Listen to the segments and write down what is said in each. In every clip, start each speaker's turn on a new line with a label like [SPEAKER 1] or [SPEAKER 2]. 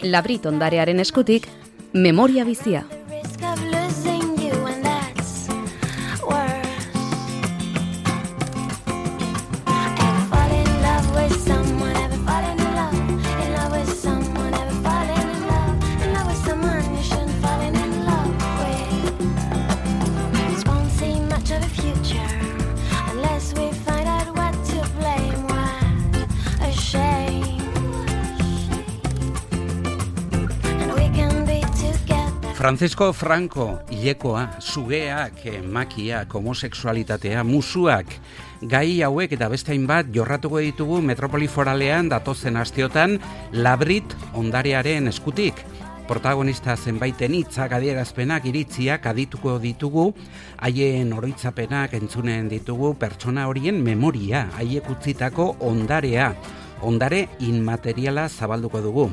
[SPEAKER 1] Labrit ondarearen eskutik, memoria bizia.
[SPEAKER 2] Francisco Franco, hilekoa, sugeak, makiak, homosexualitatea, musuak, gai hauek eta beste hainbat jorratuko ditugu metropoli foralean datozen asteotan Labrit ondarearen eskutik. Protagonista zenbaiten hitzak, adierazpenak, iritziak adituko ditugu, haien oroitzapenak entzunen ditugu, pertsona horien memoria, haiek utzitako ondarea. Ondare inmateriala zabalduko dugu.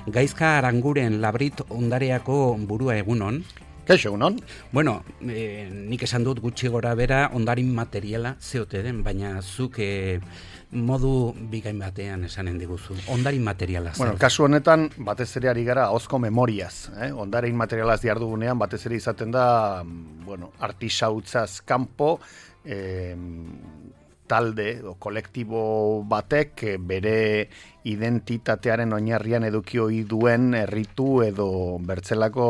[SPEAKER 2] Gaizka Aranguren Labrit ondareako burua egunon.
[SPEAKER 3] Kaixo egunon.
[SPEAKER 2] Bueno, nik esan dut gutxi gora bera ondare inmateriala zeote den, baina zuk modu bikain batean esanen diguzu. Ondare inmateriala.
[SPEAKER 3] Bueno, kasu honetan batez ere ari gara ahozko memoriaz. Ondare inmaterialaz dihardugunean batez ere izaten da, bueno, artisautzaz kanpo, talde o kolektibo batek bere identitatearen oinarrian eduki ohi duen erritu edo bertzelako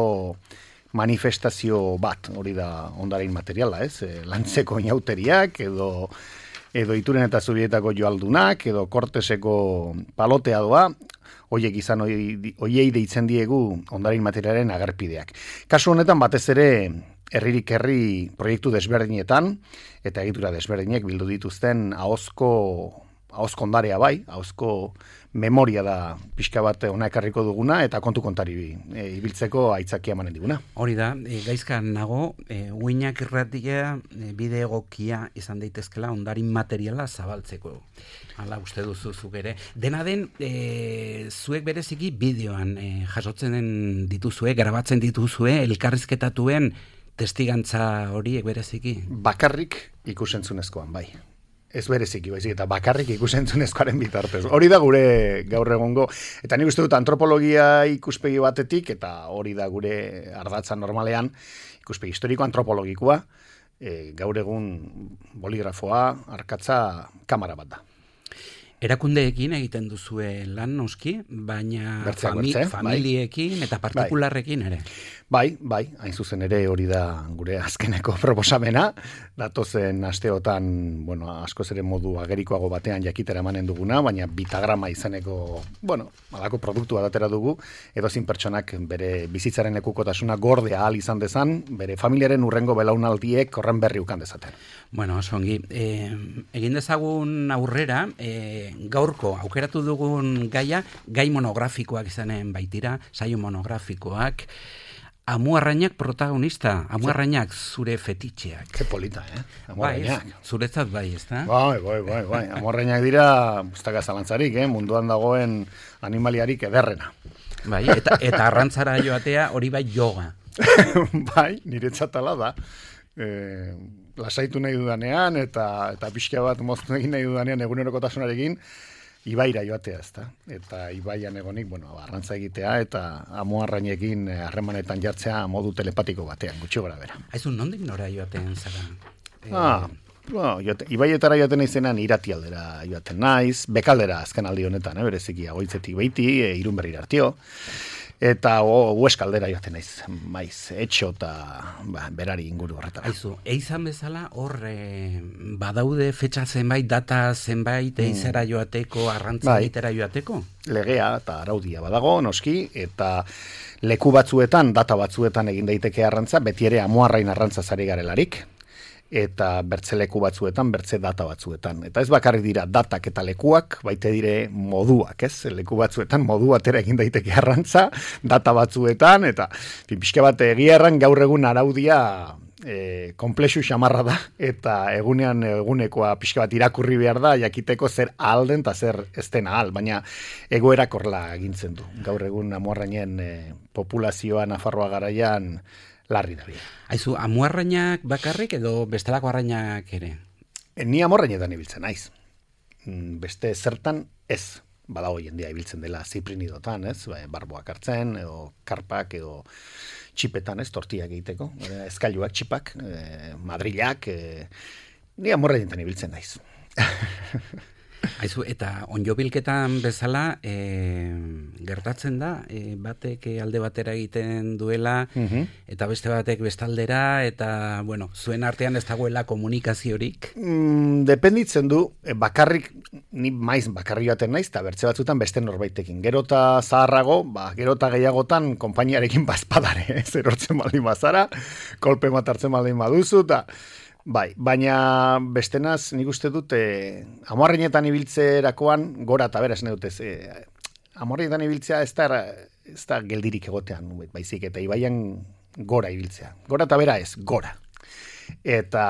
[SPEAKER 3] manifestazio bat, hori da ondare inmateriala, lantzeko inauteriak edo Ituren eta Zubietako joaldunak edo Korteseko palotea doa, hoiek izan hoiei deitzen diegu ondare inmaterialaren agerpideak. Kasu honetan batez ere herririk herri proiektu desberdinetan eta egitura desberdinek bildu dituzten ahozko ondarea bai, ahozko memoria da pixka bat hona ekarriko duguna eta kontu kontari ibiltzeko aitzakia emanen diguna.
[SPEAKER 2] Hori da, gaizka nago, uinak irratia bide egokia izan daitezkela ondarin materiala zabaltzeko. Hala uste duzuzuk ere. Dena den, zuek bereziki bideoan jasotzen dituzue, grabatzen dituzue, elkarrizketatuen testigantza horiek bereziki?
[SPEAKER 3] Bakarrik ikusentzunezkoan, bai. Ez bereziki, baizik, eta bakarrik ikusentzunezkoaren bitartez. Hori da gure gaur egongo, eta nik uste dut antropologia ikuspegi batetik, eta hori da gure ardatza normalean, ikuspegi historiko antropologikoa, gaur egun boligrafoa, arkatza, kamera bat da.
[SPEAKER 2] Erakundeekin egiten duzue lan noski, baina familiekin eta partikularrekin ere.
[SPEAKER 3] Bai, hain zuzen ere hori da gure azkeneko proposamena, datozen asteotan, bueno, askoz ere modu agerikoago batean jakitera emanen duguna, baina bitagrama izaneko, bueno, alako produktua datera dugu, edozin pertsonak bere bizitzaren lekukotasuna gorde ahal izan dezan, bere familiaren urrengo belaunaldiek horren berri ukan dezaten.
[SPEAKER 2] Bueno, osongi, egin dezagun aurrera, gaurko aukeratu dugun gaia, gai monografikoak izanen baitira, saio monografikoak, Amuarrainak protagonista, Amuarrainak zure fetitxeak.
[SPEAKER 3] Ke polita, Amuarrainak.
[SPEAKER 2] Bai, zuretzat bai, ezta?
[SPEAKER 3] Bai. Amuarrainak dira, ustaka zalantzarik, munduan dagoen animaliarik ederrena.
[SPEAKER 2] Bai, eta arrantzara joatea hori bai yoga.
[SPEAKER 3] Bai, niretzatala da. Lasaitu nahi dudanean, eta pixka bat moztu egin nahi dudanean egunerokotasunarekin, ibaira joatea, ezta? Eta ibaian egonik, bueno, arrantza egitea eta amuarrainekin harremanetan jartzea modu telepatiko batean, gutxi gora bera.
[SPEAKER 2] Aizu, nondik nora joaten zara?
[SPEAKER 3] Ibaietara joaten naizenan Iratialdera joaten naiz, Bekaldera azken aldi honetan, bereziki Agoitzetik beiti, Irunberrira artio, eta Hueskaldera joaten naiz, maiz, etxo eta berari inguru horretara.
[SPEAKER 2] Aizu, eizan bezala hor badaude fetxa zenbait, data zenbait, eizera joateko, arrantza egitera joateko?
[SPEAKER 3] Legea eta araudia badago, noski, eta leku batzuetan, data batzuetan egin daiteke arrantza, beti ere Amuarrain arrantza zari garelarik, eta bertze leku batzuetan, bertze data batzuetan. Eta ez bakarrik dira datak eta lekuak, baite dire moduak, ez? Leku batzuetan modu batera egin daiteke arrantza, data batzuetan, eta pixka bat egia erran gaur egun araudia komplexu xamarra da, eta egunekoa pixka bat irakurri behar da, jakiteko zer alden eta zer ez den ahal, baina egoerak horla egintzen du. Gaur egun Amuarrainen populazioa Nafarroa garaian larri da bia.
[SPEAKER 2] Aizu, amuarrainak bakarrik edo bestelako arrainak ere?
[SPEAKER 3] Ni amorrainetan ibiltzen naiz. Beste zertan ez. badago jendea ibiltzen dela ziprinidotan, ez? Barboak hartzen, edo karpak, edo txipetan, ez? Tortiak egiteko, eskailuak, txipak, madrilak, ni amorra dintan ibiltzen naiz.
[SPEAKER 2] Aizu, eta onjobilketan bezala gertatzen da, batek alde batera egiten duela, eta beste batek bestaldera, eta, bueno, zuen artean ez dagoela komunikaziorik?
[SPEAKER 3] Dependitzen du, bakarrik, ni maiz bakarri baten naiz, eta bertze batzutan beste norbaitekin. Gero eta zaharrago, gero eta gehiagotan konpainiarekin bazpadare, erortzen baldin bazara, kolpe matartzen baldin baduzu, eta... Bai, baina bestenaz nik uste dut amorreinetan ibiltzerakoan gora eta bera esan dut ez. Amorreinetan ibiltzea ez da geldirik egotean, baizik eta ibaian gora ibiltzea. Gora eta bera ez, gora. Eta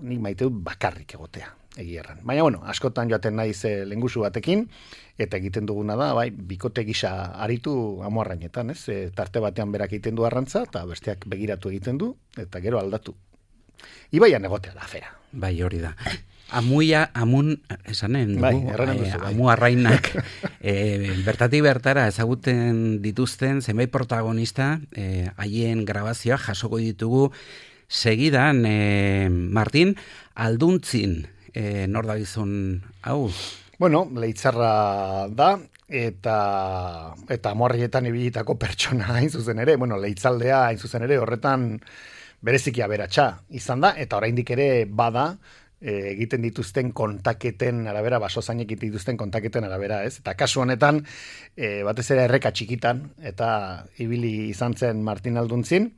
[SPEAKER 3] nik maite dut bakarrik egotea, egierran. Baina, bueno, askotan joaten naiz lengusu batekin, eta egiten duguna da, bai, bikote gisa aritu amorreinetan, ez? Tarte batean berak egiten du arrantza, eta besteak begiratu egiten du, eta gero aldatu. Ibaian egotea da, afera.
[SPEAKER 2] Bai, hori da. Amun, esanen dugu,
[SPEAKER 3] bai,
[SPEAKER 2] amu arrainak, bertatik bertara ezaguten dituzten zenbait protagonista, haien grabazioa jasoko ditugu segidan, Martin, Alduntzin, nor da gizon hau?
[SPEAKER 3] Bueno, Leitzarra da, eta amorrietan ibilitako pertsona hain zuzen ere, bueno, Leitzaldea hain zuzen ere, horretan bereziki aberatsa izan da, eta oraindik ere bada, egiten dituzten kontaketen arabera, basozainek egiten dituzten kontaketen arabera, ez? Eta kasu honetan, batez ere erreka txikitan, eta ibili izan zen Martin Alduntzin,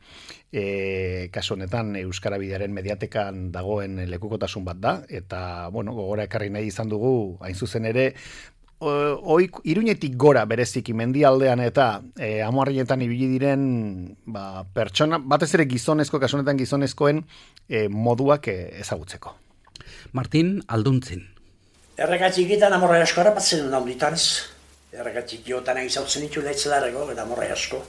[SPEAKER 3] kasu honetan Euskara Bidearen mediatekan dagoen lekukotasun bat da, eta, bueno, gogora ekarri nahi izan dugu, hain zuzen ere, Iruñetik gora bereziki mendialdean eta amuarrietan ibili diren pertsona, batez ere gizonezko, kasu honetan gizonezkoen moduak ezagutzeko.
[SPEAKER 2] Martin Alduntzin.
[SPEAKER 4] Erreka txikitan amorra asko harrapatzen duen handitan ez. Erreka txikiotan egizautzen ditu leitzelarreko eta amorra asko.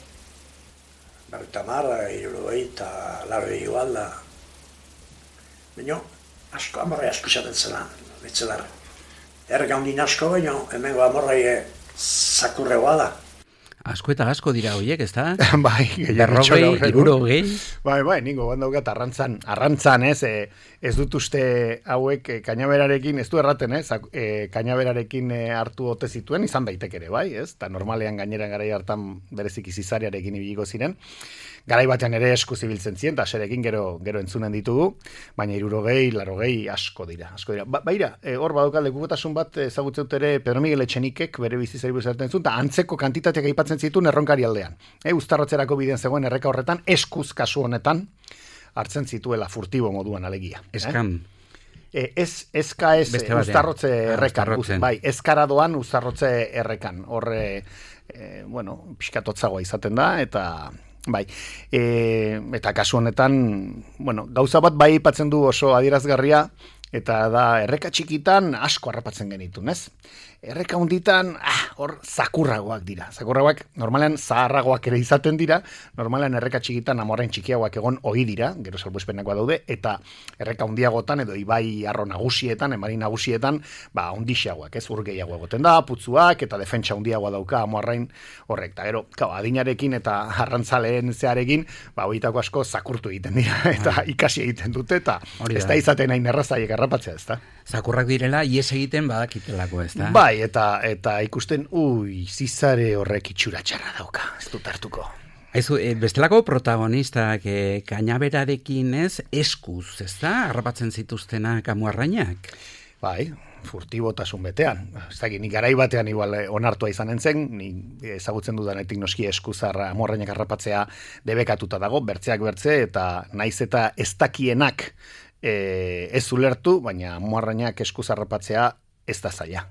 [SPEAKER 4] Berrita marra, irurogei eta larroi igual da. Baina asko amorra asko zaten zelan leitzelarra. Erreka hundin asko, baina hemengo amorrai zakurregoa da.
[SPEAKER 2] Asko eta asko dira horiek, ez da?
[SPEAKER 3] Bai,
[SPEAKER 2] berrogei, irurogei.
[SPEAKER 3] Bai, ningo bandaukat arrantzan, ez dut uste hauek kainaberarekin, ez du erraten, kainaberarekin hartu ote zituen, izan daiteke ere, bai, ez? Ta normalean gaineran garai hartan bereziki zizariarekin ibiliko ziren. Garai batean ere esku zibiltzen ziren, eta serekin gero entzunen ditugu, baina 60, 80 asko dira. Baira, hor badaukat lekukotasun bat ezagutzen dut ere Pedro Miguel Etxenikek bere bizitzari buruz hartzen zuen, eta antzeko kantitateak aipatzen zituen erronkari aldean. Uztarrotzerako bidean zegoen erreka horretan, eskuz kasu honetan, hartzen zituela furtibo moduan alegia.
[SPEAKER 2] Eskan.
[SPEAKER 3] Eska ez uztarrotze errekan. Bai, eskara doan uztarrotze errekan. Horre, bueno, pixkatotzagoa izaten da, eta... Bai, eta kasu honetan, bueno, gauza bat bai aipatzen du oso adierazgarria, eta da erreka txikitan asko harrapatzen genitun, ez? Erreka hunditan, hor zakurragoak dira. Zakurragoak normalean zaharragoak ere izaten dira, normalean erreka txikitan amorrain txikiagoak egon ohi dira, gero salbuespenakoa daude, eta erreka hundiagotan edo ibai arro nagusietan, emari nagusietan, hundixagoak, ez? Ur gehiago egoten da, putzuak, eta defentsa hundiagoa dauka amorrain horrek. Eta gero, adinarekin eta arrantzaleen zearekin, horietako asko zakurtu egiten dira, eta ikasi egiten dute, eta ez da izaten hain errazaiek harrapatzea, ez da?
[SPEAKER 2] Zakurrak direla, ies egiten badakitelako, ez da?
[SPEAKER 3] Bai, eta ikusten, zizare horrek itxura txarra dauka, ez dut hartuko.
[SPEAKER 2] Aizu, bestelako protagonistak kainaberarekin ez, eskuz, ez da? Harrapatzen zituztenak amuarrainak?
[SPEAKER 3] Bai, furtibotasun betean. Ez da, ni garai batean igual onartua izanen zen, ni ezagutzen dudanetik noski eskuzarra amuarrainak harrapatzea debekatuta dago, bertzeak bertze, eta naiz eta ez dakienak ez ulertu, baina amuarrainak eskuz harrapatzea ez da zaila.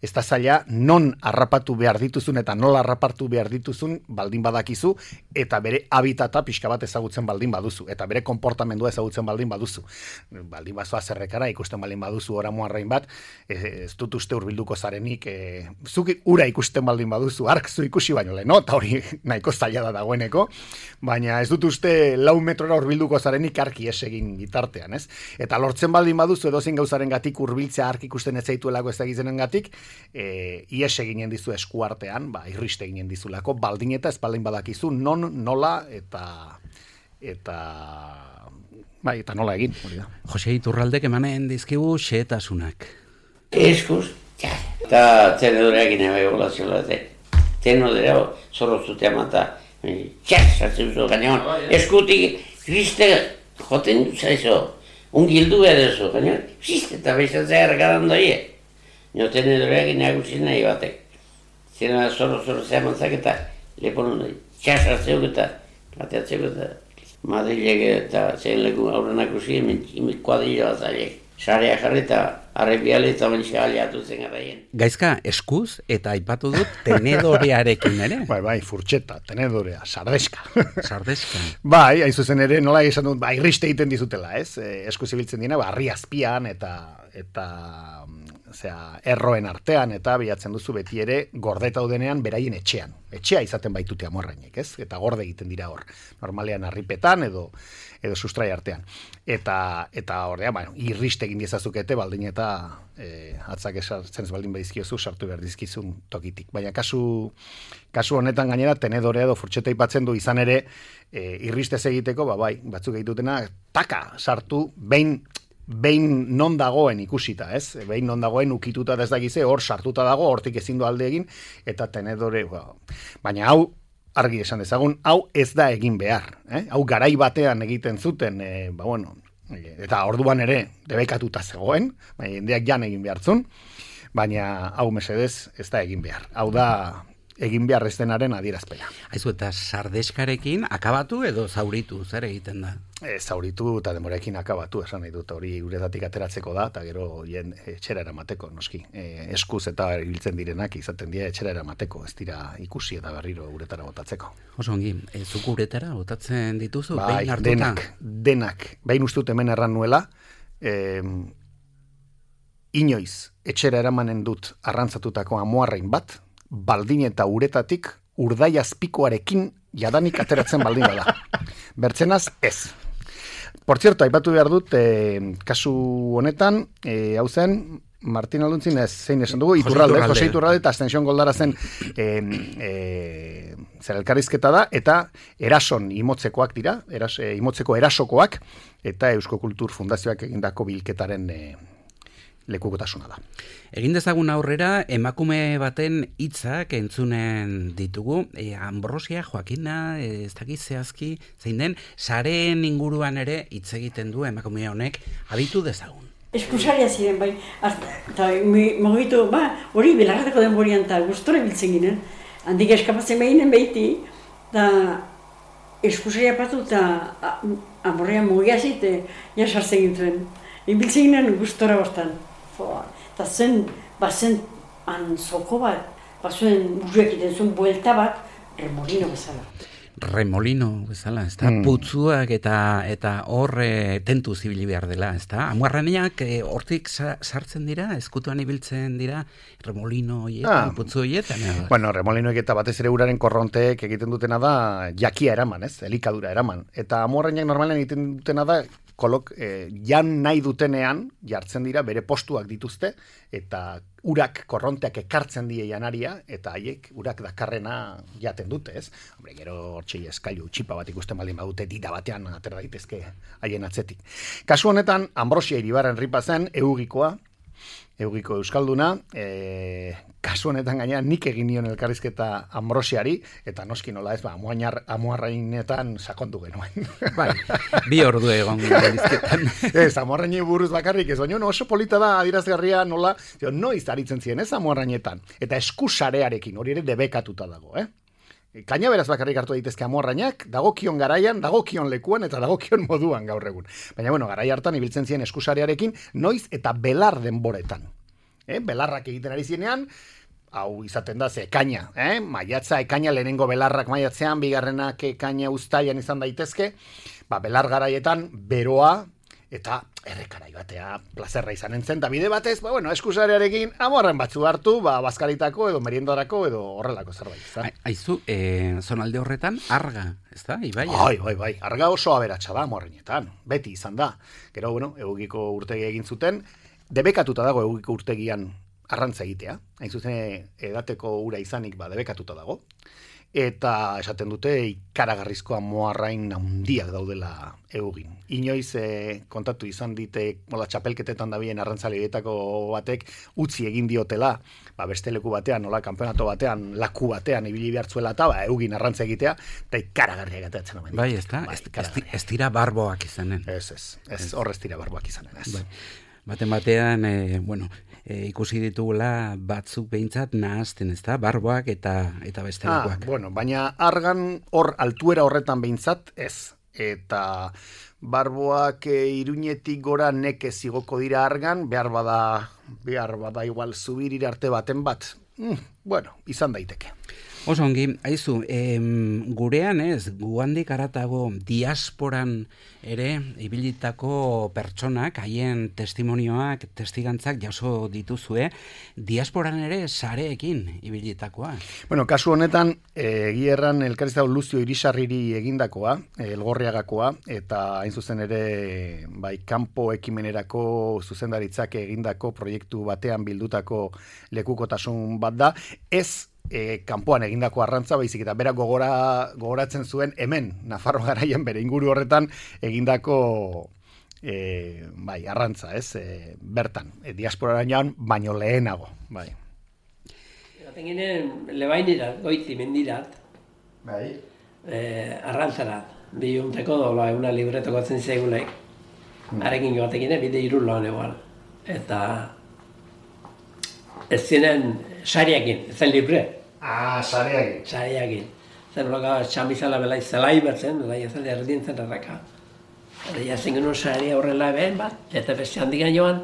[SPEAKER 3] Ez da zaila non harrapatu behar dituzun eta nola harrapatu behar dituzun baldin badakizu, eta bere habitata pixka bat ezagutzen baldin baduzu, eta bere konportamendua ezagutzen baldin baduzu. Baldin bazoa zerrekara, ikusten baldin baduzu oramuarrain bat, ez dut uste hurbilduko zarenik, zuk ura ikusten baldin baduzu, ark zu ikusi baino lehen, eta hori nahiko zaila da dagoeneko, baina ez dut uste 4 metrora hurbilduko zarenik arki esegin bitartean, ez? Eta lortzen baldin baduzu edozein gauzaren gatik hurbiltzea ark ikusten ez zaituelako ez da gizenen gatik, horregatik, ies eginen dizu eskuartean, irriste eginen dizulako, baldin eta espaldin badakizu, nola, eta nola egin, hori da.
[SPEAKER 2] Jose Iturraldek emanen dizkigu xehetasunak.
[SPEAKER 5] Eskuz, eta tenedoreak inabe bolazioa, tenedorea zorrozutea mata, sartzen duzu gainean, eskutik, kriste, joten dut zaizo, ungildu edezu, gainean, kriste, eta bestatzea ergadan doie. Nio tenedoreak inagusi nahi batek. Zena zorrotzea mantzak eta leponon nahi, sartzeuk eta, bateatzeuk eta, Madrilek eta zein leku aurrenak usi, imik kuadrilla bat zaileek. Sarea jarri eta arrepiale eta bentsa aliatu zen garaien.
[SPEAKER 2] Gaizka, eskuz eta aipatu dut tenedorearekin ere.
[SPEAKER 3] Bai, furtxeta, tenedorea, sardeska.
[SPEAKER 2] Sardeska.
[SPEAKER 3] Bai, hain zuzen ere, nola esan dut, irriste egiten dizutela, ez? Eskuz ibiltzen dina, harri azpian eta erroen artean eta bilatzen duzu beti ere gordeta udenean beraien etxean. Etxea izaten baitute amorrainek, ez? Eta gorde egiten dira hor. Normalean harripetan edo sustrai artean. Eta ordea, irriste egin diezazukete baldin eta atzak esartzen baldin badizkiozu sartu behar dizkizun tokitik. Baina kasu honetan gainera tenedorea edo furtxeta ipatzen du izan ere irristez egiteko, batzuk egitutena taka sartu behin non dagoen ikusita, ez? Behin non dagoen ukituta ez dakize, hor sartuta dago, hortik ezin du alde egin, eta tenedore, baina hau, argi esan dezagun, hau ez da egin behar. Hau garai batean egiten zuten, eta orduan ere debekatuta zegoen, jendeak jan egin behartzun, baina hau mesedez ez da egin behar. Hau da egin behar ez denaren adierazpena.
[SPEAKER 2] Aizu, eta sardeskarekin akabatu edo zauritu, zer egiten da?
[SPEAKER 3] Zauritu eta denborekin akabatu, esan nahi dut, hori uretatik ateratzeko da, eta gero etxera eramateko, noski. Eskuz eta ibiltzen direnak izaten dira etxera eramateko, ez dira ikusi eta berriro uretara botatzeko.
[SPEAKER 2] Oso ongi, zuk uretara botatzen dituzu, behin hartuta?
[SPEAKER 3] Denak. Behin ustut hemen erran nuela, inoiz etxera eramanen dut arrantzatutako amuarrain bat, baldin eta uretatik urdai azpikoarekin jadanik ateratzen baldin bada. Bertzenaz, ez. Por cierto, aipatu behar dut, kasu honetan, hau zen, Martin Alduntzin zein esan dugu, Jose Iturralde eta Ascension Goldara zen elkarrizketa da, eta erason imotzekoak dira, imotzeko erasokoak, eta Eusko Kultur Fundazioak egindako bilketaren lekukotasuna da.
[SPEAKER 2] Egin dezagun aurrera, emakume baten hitzak entzunen ditugu, Ambrosia Joakina, ez dakit zehazki, zein den, sareen inguruan ere hitz egiten du emakume honek, abitu dezagun.
[SPEAKER 6] Eskusaria ziren, bai, eta mogitu, hori belarrateko denborian eta gustora biltzen ginen, handik eskapatzen behinen behiti, eta eskusaria patu eta amorrean mogia zite, jasartzen gintuen. Ibiltzen ginen gustora bostan. Eta zen antzoko bat, zuen burruek iten zuen buelta bat, remolino bezala.
[SPEAKER 2] Remolino bezala, ez da? Putzuak eta horre tentu zibili behar dela, ez da? Amuarraneak hortik sartzen dira, eskutuan ibiltzen dira, remolino hoietan, putzu hoietan.
[SPEAKER 3] Bueno, remolinoek eta batez ere uraren korronteek egiten dutena da jakia eraman, ez? Elikadura eraman. Eta amuarraneak normalen egiten dutena da, jan nahi dutenean jartzen dira bere postuak dituzte eta urak korronteak ekartzen die janaria eta haiek urak dakarrena jaten dute, ez? Hombre, gero hortxei eskailu txipa bat ikusten baldin badute dita batean atera daitezke haien atzetik. Kasu honetan Ambrosia Iribarren ripa zen Eugiko euskalduna, kasu honetan gaina nik egin nion elkarrizketa Ambrosiari, eta noski nola ez, amuarrainetan sakondu genuen.
[SPEAKER 2] Bai, 2 ordu egon elkarrizketan.
[SPEAKER 3] Ez, amuarrainei buruz bakarrik ez, baina oso polita da adirazgarria nola, noiz aritzen ziren ez amuarrainetan, eta eskusarearekin, hori ere debekatuta dago, Kaina beraz bakarrik hartu daitezke amuarrainak, dagokion garaian, dagokion lekuan eta dagokion moduan gaur egun. Baina, garai hartan ibiltzen ziren eskusarearekin, noiz eta belar denboretan. Belarrak egiten ari zinean, hau izaten da, ze ekaina, maiatza ekaina, lehenengo belarrak maiatzean, bigarrenak ekaina uztaian izan daitezke, belar garaietan, beroa, eta errekarai batea plazerra izan entzen, da bide batez, eskusarearekin amuarren batzu hartu, bazkaritako edo meriendarako edo horrelako zerbait.
[SPEAKER 2] Aizu, zonalde horretan, arga, ez da, ibaia?
[SPEAKER 3] Bai, arga oso aberatsa da amuarrenetan, beti izan da. Gero, Eugiko urtegi egin zuten, debekatuta dago Eugiko urtegian arrantza egitea, hain zuzen edateko ura izanik debekatuta dago, eta esaten dute ikaragarrizko amoarrain handiak daudela eugin. Inoiz kontatu izan dite txapelketetan dabien arrantzaleetako batek utzi egin diotela, beste leku batean, kanpeonato batean, laku batean ibili behartzuela eta eugin arrantza egitea, eta ikaragarria gateatzen omen.
[SPEAKER 2] Bai, ez dira barboak izanen.
[SPEAKER 3] Ez, horrez dira barboak izanen, ez.
[SPEAKER 2] Batean, ikusi ditugula batzuk behintzat nahazten, ez da, barboak eta bestelakoak.
[SPEAKER 3] Baina argan hor altuera horretan behintzat ez. Eta barboak Iruñetik gora nekez igoko dira argan, behar bada igual zubirira arte baten bat. Izan daiteke.
[SPEAKER 2] Oso ongi, aizu, gurean ez, guandik aratago diasporan ere ibilitako pertsonak, haien testimonioak, testigantzak jaso dituzue, diasporan ere sareekin ibilitakoa.
[SPEAKER 3] Kasu honetan, egierran elkarrizau Luzio Irisarriri egindakoa, Elgorriagakoa, eta hain zuzen ere, kanpo ekimenerako zuzendaritzak egindako proiektu batean bildutako lekukotasun bat da, ez kanpoan egindako arrantza, baizik eta berak gogoratzen zuen hemen, Nafarro garaian bere inguru horretan egindako arrantza, ez? Bertan, diasporarainoan baino lehenago, bai.
[SPEAKER 7] Gaten ginen, lebainirat, goiti mendirat, arrantzarat, bihunteko dola, eguna libretoko atzen zeigulek, harekin gaten ginen, bide irulloan egual, eta ez ziren sariakin, ez zen libre.
[SPEAKER 3] Sariakin.
[SPEAKER 7] Sariakin. Zer loka txamizala belai zelai bertzen, belai ez alde erdintzen erraka. Eta jazen genuen saria horrela behen bat, eta beste handikan joan,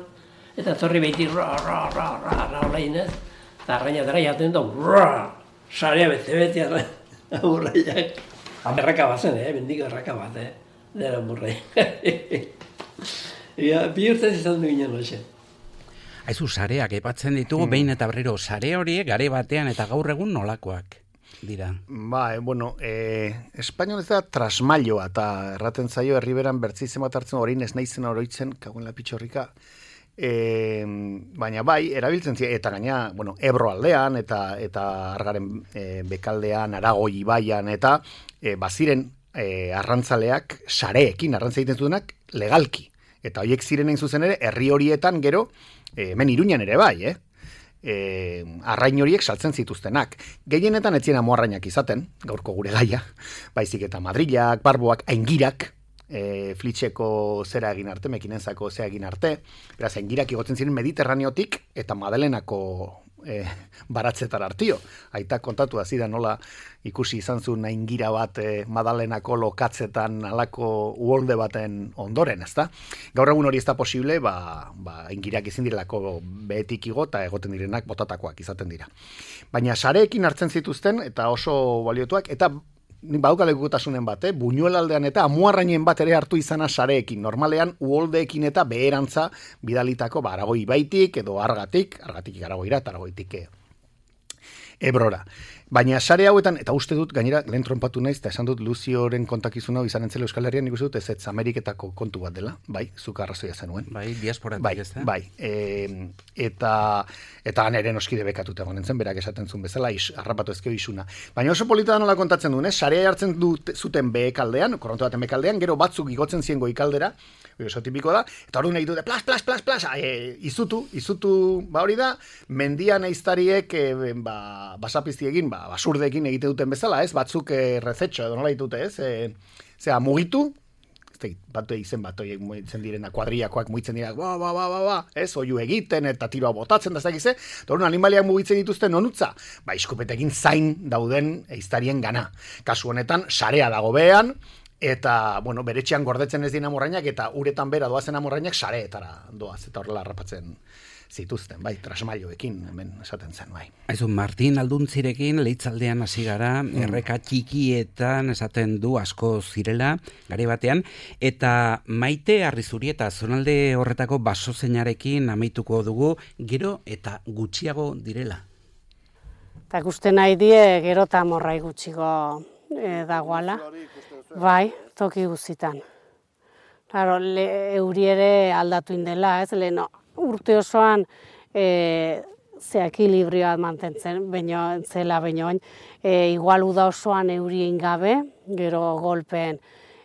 [SPEAKER 7] eta torri behiti ra hola inez, eta arrainatara jaten du, saria bete amurraiak. Erraka bazen, bendiko erraka bat, dera amurraiak. Bi urtez izan du ginen loxe.
[SPEAKER 2] Aizu, sareak epatzen ditugu, behin eta berriro, sare horiek gare batean eta gaur egun nolakoak dira?
[SPEAKER 3] Espainiol ez da trasmailoa, eta erraten zaio herriberan bertzi bat hartzen orain ez naizen oroitzen, kagoen lapitxorrika, baina erabiltzen ziren, eta gaina, Ebro aldean, eta Argaren bekaldean, Aragoi ibaian, eta baziren arrantzaleak sareekin arrantza egiten zutenak legalki. Eta horiek ziren egin zuzen ere, herri horietan gero, hemen Iruñan ere bai, arrain horiek saltzen zituztenak. Gehienetan ez ziren amoarrainak izaten, gaurko gure gaia, baizik eta Madrilak, barboak, aingirak, flitxeko zera egin arte, mekinenzako zera egin arte, beraz, aingirak igotzen ziren Mediterraneotik eta Madelenako baratzetar artio. Aita kontatu da nola ikusi izan zuen aingira bat Madalenako lokatzetan alako uholde baten ondoren, ezta? Gaur egun hori ez da posible, aingirak ezin direlako behetik igo eta egoten direnak botatakoak izaten dira. Baina sareekin hartzen zituzten eta oso baliotuak, eta badaukalekutasunen bat, Buñuel aldean eta Amuarrainen bat ere hartu izana sareekin, normalean uholdeekin eta beherantza bidalitako Aragoi ibaitik edo argatik Aragoira eta Aragoitik Ebrora. Baina sare hauetan, eta uste dut, gainera, lehen tronpatu naiz, eta esan dut Luzioren kontakizuna izan entzela Euskal Herrian, nik uste dut ez Ameriketako kontu bat dela, zuka arrazoia zenuen.
[SPEAKER 2] Diasporatik ez da?
[SPEAKER 3] Eta nere noskide bekatuta egonen zen, berak esaten zuen bezala, harrapatu ezkeo isuna. Baina oso polita da nola kontatzen duen, sarea hartzen zuten behekaldean, korronto baten behekaldean, gero batzuk igotzen zien goikaldera, oso tipiko da, eta hori nahi dute, plas, izutu, hori da, mendian eiztariek, basapizti egin, basurdekin egite duten bezala, ez? Batzuk rezetxo edo nola ditute, ez? Mugitu, izen bat mugitzen direna, kuadriakoak mugitzen dira, ez? Oiu egiten eta tiroa botatzen da zakize, eta hori animaliak mugitzen dituzten onutza, iskupetekin zain dauden eiztarien gana. Kasu honetan, sarea dago behan, eta, beretxean gordetzen ez dien amorrainak, eta uretan bera doazen amorrainak sareetara doaz, eta horrela harrapatzen zituzten, trasmailoekin, hemen esaten zen,
[SPEAKER 2] Aizu, Martin Alduntzirekin leitzaldean hasi gara, erreka txikietan esaten du asko zirela, gare batean, eta Maite Arrizurieta zonalde horretako basozeinarekin amaituko dugu, gero eta gutxiago direla.
[SPEAKER 8] Eta guste nahi die, gero eta morrai gutxigo dagoala, toki guzitan. Claro, euri ere aldatu indela, ez, leheno. Urte osoan ekilibrioa mantentzen, zela baino, igual uda osoan eurien gabe, gero golpen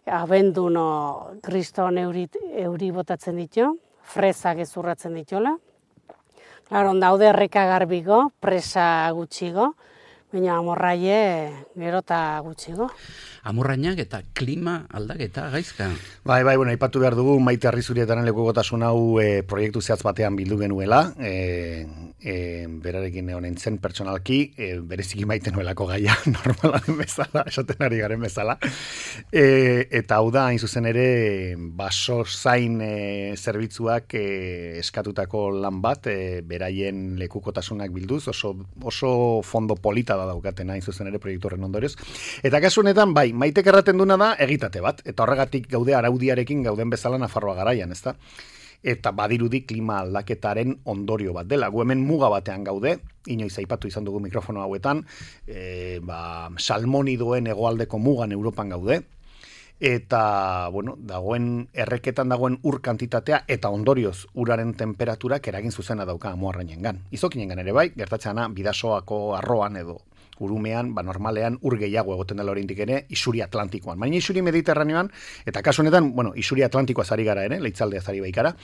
[SPEAKER 8] abenduno kriston euri botatzen ditu, fresak ezurratzen dituela. Claro, daude erreka garbiko, presa gutxigo, baina amorraie gero eta gutxigo.
[SPEAKER 2] Amorrainak eta klima aldaketa gaizka.
[SPEAKER 3] Bai, bueno, aipatu behar dugu Maite Arrizurietaren lekukotasun hau proiektu zehatz batean bildu genuela, berarekin honen zen pertsonalki, bereziki maite nuelako gaia, normala bezala, esaten ari garen bezala. Eta hau da, hain zuzen ere, baso zain zerbitzuak eskatutako lan bat, beraien lekukotasunak bilduz, oso fondo polita da daukaten hain zuzen ere proiektu horren ondorioz. Eta kasu honetan, bai, Maitek erraten duna da egitate bat, eta horregatik gaude araudiarekin gauden bezala Nafarroa garaian, ezta? Eta badirudi klima aldaketaren ondorio bat dela. Gu hemen muga batean gaude, inoiz aipatu izan dugu mikrofono hauetan, salmonidoen hegoaldeko mugan Europan gaude, eta, bueno, dagoen erreketan dagoen ur kantitatea eta ondorioz uraren temperaturak eragin zuzena dauka Amuarrainengan. Izokinengan ere bai, gertatzena Bidasoako arroan edo urumean, normalean ur gehiago egoten dela oraindik ere isuri atlantikoan. Baina isuri mediterraneoan, eta kasu honetan, isuri atlantikoa zari gara ere, leitzaldea zari baikara,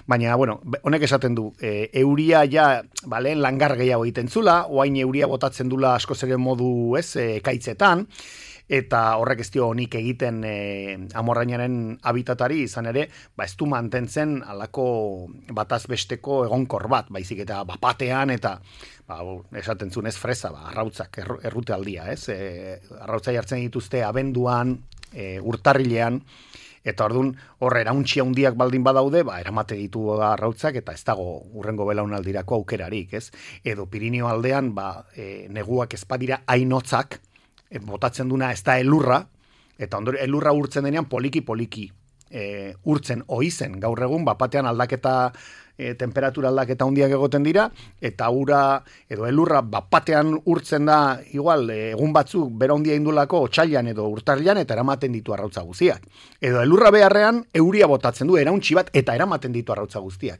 [SPEAKER 3] baina, honek esaten du, euria ja, lehen langar gehiago egiten zula, oain euria botatzen dula asko zeren modu, ekaitzetan, eta horrek ez dio honik egiten Amorrainaren habitatari izan ere, ez du mantentzen alako bataz besteko egonkor bat, baizik eta bapatean eta esaten zuen ez fresa, arrautzak, errute aldia, arrautzai hartzen dituzte abenduan, urtarrilean, eta orduan horre erauntxia handiak baldin badaude, eramate ditu arrautzak eta ez dago urrengo belaunaldirako aukerarik, edo Pirinio aldean, neguak ezpadira hainotzak, botatzen duna ez da elurra, eta ondori elurra urtzen denean poliki urtzen oizen, gaur egun bapatean aldaketa, temperatura aldaketa handiak egoten dira, eta ura edo elurra bapatean urtzen da, igual, egun batzuk bera handia indulako otsailean edo urtarrilean eta eramaten ditu arrautza guztiak. Edo elurra beharrean euria botatzen du, erauntsi bat eta eramaten ditu arrautza guztiak.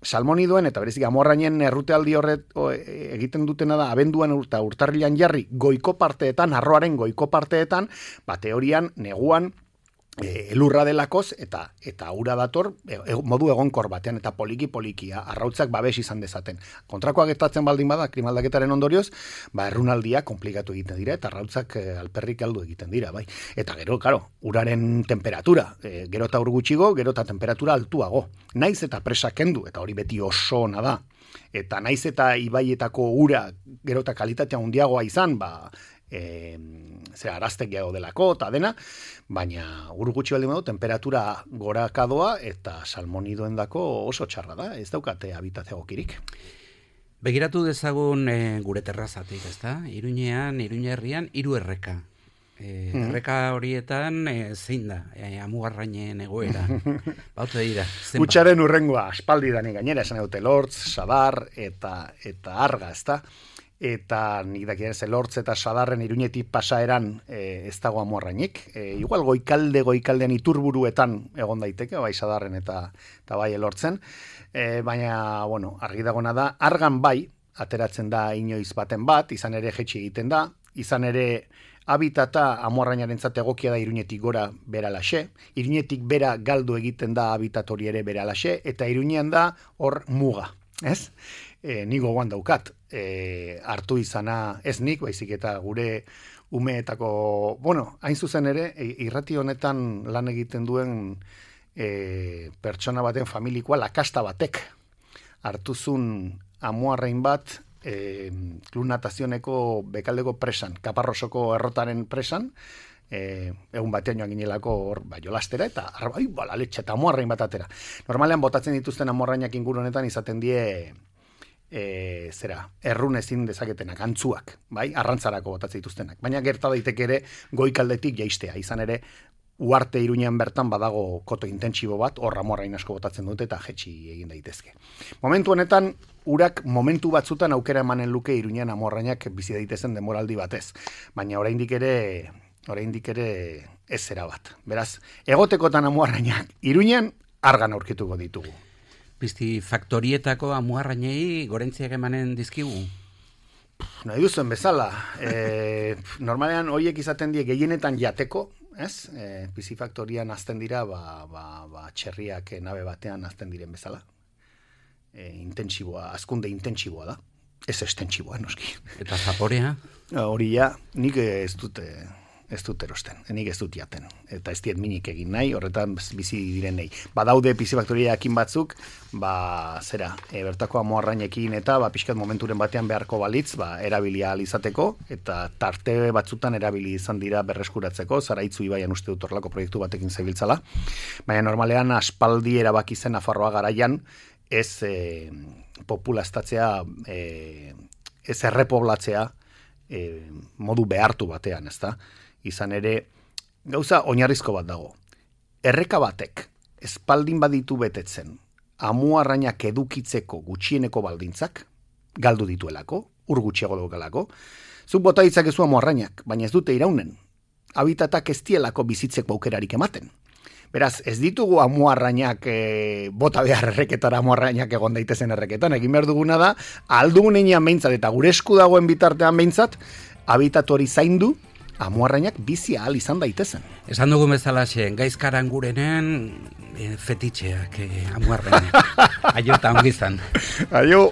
[SPEAKER 3] Salmonidoen eta berezik Amorrainen errutealdi horret egiten dutena da abenduan eta urtarrilean jarri goiko parteetan, arroaren goiko parteetan, teorian, neguan, elurra delakoz eta ura dator modu egonkor batean eta poliki arrautzak babes izan dezaten. Kontrakoa gertatzen baldin bada klimaldaketaren ondorioz, errunaldia komplikatu egiten dira eta arrautzak alperrik galdu egiten dira, bai. Eta gero, uraren temperatura, gero eta ur gutxigo, gero eta temperatura altuago. Naiz eta presa kendu, eta hori beti oso ona da. Eta naiz eta ibaietako ura gero eta kalitatea handiagoa izan, araztek gehiago delako eta dena, baina ur gutxi baldin badu temperatura gorakadoa eta salmonidoen dako oso txarra da, ez daukate habitate egokirik.
[SPEAKER 2] Begiratu dezagun gure terrazatik, ezta? Iruñean, Iruña herrian, 3 erreka. Erreka horietan zein da, Amuarrainen egoera. Baute dira.
[SPEAKER 3] Gutxaren urrengoa, aspaldi dani gainera, esan dute Lortz, Sadar eta Arga, ezta? Eta nik dakien Lortz eta Sadarren Iruñetik pasaeran ez dago Amuarrainik. Igual goikaldean iturburuetan egon daiteke, bai Sadarren eta bai Lortzen. Baina, argi dagona da, Argan bai, ateratzen da inoiz baten bat, izan ere jetxi egiten da, izan ere habitata Amuarrainarentzat egokia da Iruñetik gora beralaxe, Iruñetik bera galdu egiten da habitat hori ere beralaxe, eta Iruñean da hor muga, ez? Ni gogoan daukat, hartu izana ez nik, baizik eta gure umeetako, hain zuzen ere, irrati honetan lan egiten duen pertsona baten familikoa, lakasta batek, hartuzun Amuarrain bat, klub natazioneko bekaldeko presan, Kaparrosoko errotaren presan, egun batean joan ginelako hor jolastera, eta baletxe eta Amuarrain bat atera. Normalean botatzen dituzten Amuarrainak inguru honetan izaten die errun ezin dezaketenak, antzuak, bai, arrantzarako botatzen dituztenak. Baina gerta daiteke ere goikaldetik jaistea, izan ere Uarte Iruñean bertan badago koto intentsibo bat, hor Amuarrain asko botatzen dute eta jetxi egin daitezke. Momentu honetan, urak momentu batzutan aukera emanen luke Iruñean Amuarrainak bizi daitezen demoraldi batez. Baina oraindik ere ez zera bat. Beraz, egotekotan Amuarrainak Iruñean Argan aurkituko ditugu.
[SPEAKER 2] pistifaktorietako amuarrainei gorentziak emanen dizkigu?
[SPEAKER 3] Nahi duzuen bezala. Normalean horiek izaten die gehienetan jateko, ez? Pisifaktorian azten dira, txerriak nabe batean azten diren bezala. Intentsiboa, azkunde intentsiboa da. Ez estentsiboa, noski.
[SPEAKER 2] Eta zaporea?
[SPEAKER 3] Hori ja, nik ez dut erosten, nik ez dut jaten. Eta ez diet minik egin nahi, horretan bizi direnei. Badaude pisifaktoriakin batzuk, bertako amuarrainekin eta pixkat momenturen batean beharko balitz, erabilia izateko, eta tarte batzutan erabili izan dira berreskuratzeko, Zaraitzu ibaian uste dut horrelako proiektu batekin zebiltzala. Baina normalean aspaldi erabaki zen Nafarroa garaian, ez populaztatzea, ez errepoblatzea modu behartu batean, ezta? Izan ere, gauza oinarrizko bat dago. Erreka batek, espaldin baditu betetzen, amuarrainak edukitzeko gutxieneko baldintzak, galdu dituelako, ur gutxiago daukalako, zuk bota ditzakezu amuarrainak, baina ez dute iraunen. Habitatak ez dielako bizitzeko aukerarik ematen. Beraz, ez ditugu amuarrainak bota behar erreketara amuarrainak egon daitezen erreketan. Egin behar duguna da, aldugunean behintzat eta gure esku dagoen bitartean behintzat, habitatu hori zaindu, amuarrainak bizi ahal izan daitezen.
[SPEAKER 2] Esan dugun bezala gaizkaran gurenen fetitxeak amuarrainak. Aio eta ongi izan.
[SPEAKER 3] Aio.